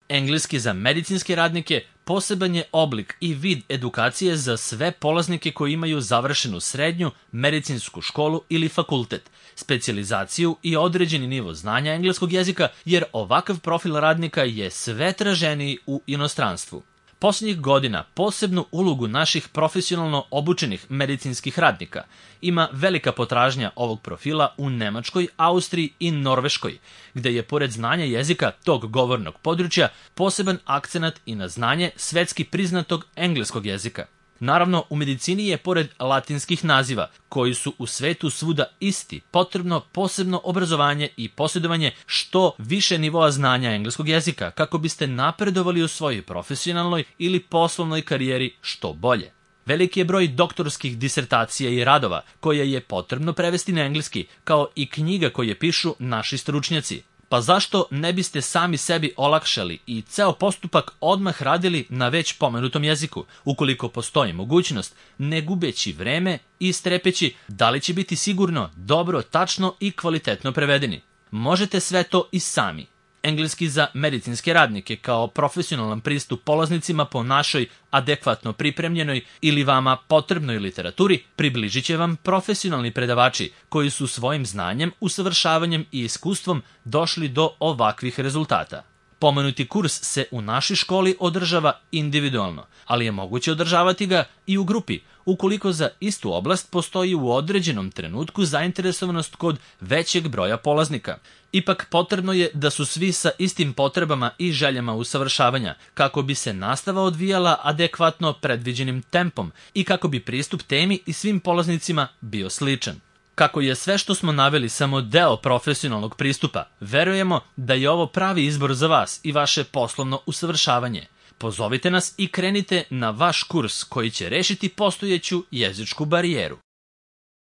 Engleski za medicinske radnike poseban je oblik i vid edukacije za sve polaznike koji imaju završenu srednju, medicinsku školu ili fakultet, specijalizaciju i određeni nivo znanja engleskog jezika, jer ovakav profil radnika je sve traženiji u inostranstvu. Posljednjih godina posebnu ulogu naših profesionalno obučenih medicinskih radnika ima velika potražnja ovog profila u Nemačkoj, Austriji i Norveškoj, gde je pored znanja jezika tog govornog područja poseban akcenat i na znanje svetski priznatog engleskog jezika. Naravno, u medicini je pored latinskih naziva, koji su u svetu svuda isti, potrebno posebno obrazovanje i posjedovanje što više nivoa znanja engleskog jezika, kako biste napredovali u svojoj profesionalnoj ili poslovnoj karijeri što bolje. Veliki je broj doktorskih disertacija i radova koje je potrebno prevesti na engleski, kao i knjiga koje pišu naši stručnjaci. Pa zašto ne biste sami sebi olakšali i ceo postupak odmah radili na već pomenutom jeziku, ukoliko postoji mogućnost, ne gubeći vreme i strepeći da li će biti sigurno, dobro, tačno i kvalitetno prevedeni. Možete sve to i sami. Engleski za medicinske radnike kao profesionalan pristup polaznicima po našoj adekvatno pripremljenoj ili vama potrebnoj literaturi približit će vam profesionalni predavači koji su svojim znanjem, usavršavanjem i iskustvom došli do ovakvih rezultata. Pomenuti kurs se u našoj školi održava individualno, ali je moguće održavati ga i u grupi, ukoliko za istu oblast postoji u određenom trenutku zainteresovanost kod većeg broja polaznika. Ipak potrebno je da su svi sa istim potrebama i željama usavršavanja, kako bi se nastava odvijala adekvatno predviđenim tempom i kako bi pristup temi i svim polaznicima bio sličan. Kako je sve što smo naveli samo deo profesionalnog pristupa, verujemo da je ovo pravi izbor za vas i vaše poslovno usavršavanje. Pozovite nas i krenite na vaš kurs koji će rešiti postojeću jezičku barijeru.